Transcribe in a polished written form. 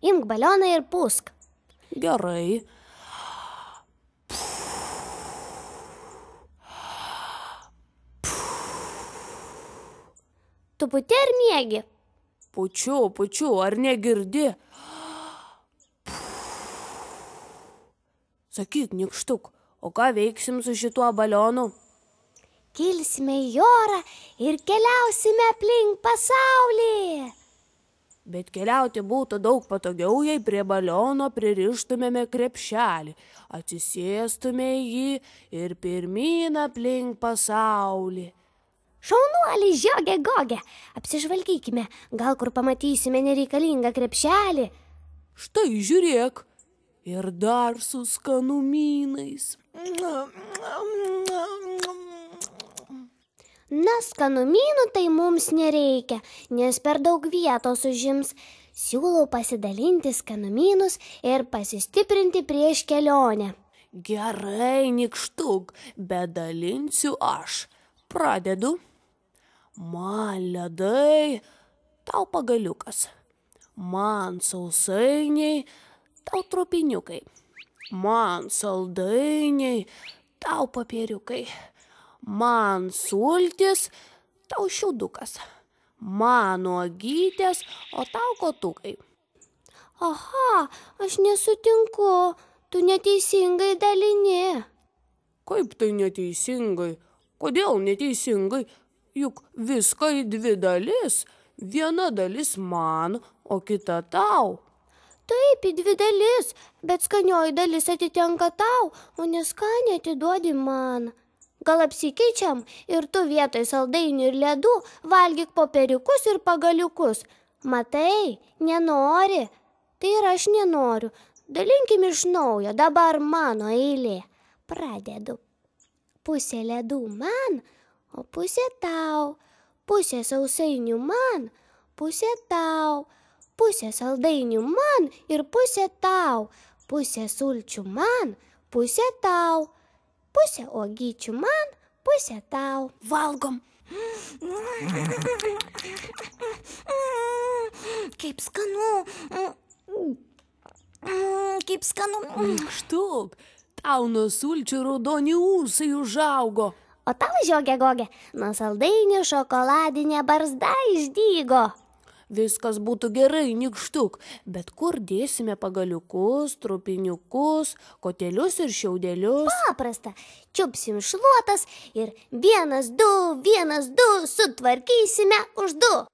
imk balioną ir pūsk. Gerai. Tu puti ar miegi? Pučiu, ar negirdi? Sakyk, nykštuk, o ką veiksim su šituo balionu? Kilsime į orą ir keliausime aplink pasaulį. Bet keliauti būtų daug patogiau, jei prie baliono pririštumėme krepšelį, atsisėstume į jį ir pirmyn aplink pasaulį. Šaunuoliai, Žiogė, Gogė, apsižvalgykime, gal kur pamatysime nereikalingą krepšelį. Štai žiūrėk, ir dar su skanumynais. Na, skanumynų tai mums nereikia, nes per daug vietos užims. Siūlau pasidalinti skanumynus ir pasistiprinti prieš kelionę. Gerai, nykštuk, bet dalinsiu aš. Pradedu. Man ledai, tau pagaliukas. Man sausainiai, tau trupiniukai. Man saldainiai, tau popieriukai. Man sultis, tau šiaudukas. Man uogytės, o tau kotukai. Aha, aš nesutinku, tu neteisingai dalini. Kaip tai neteisingai? Kodėl neteisingai? Juk viską į 2 dalis. Viena dalis man, o kita tau. Taip, į 2 dalis, bet skanioji dalis atitenka tau, o neskanį atiduodi man. Gal apsikeičiam ir tu vietoj saldainių ir ledų valgyk popieriukus ir pagaliukus. Matai, nenori. Tai ir aš nenoriu. Dalinkim iš naujo, dabar mano eilė. Pradedu. Pusė ledų man, o pusė tau. Pusė sausainių man, pusė tau. Pusė saldainių man ir pusė tau. Pusė sulčių man, pusė tau. Pusė uogyčių man, pusė tau. Valgom. Kaip skanu. Kaip skanu. Nykštuk, tau nuo sulčių raudoni ūsai užaugo. O tau, Žiogė, Gogė, nuo saldainių šokoladinė barzda išdygo. Viskas būtų gerai, nykštuk, bet kur dėsime pagaliukus, trupiniukus, kotelius ir šiaudelius? Paprasta, čiupsim šluotas ir 1, 2, 1, 2 sutvarkysime už 2.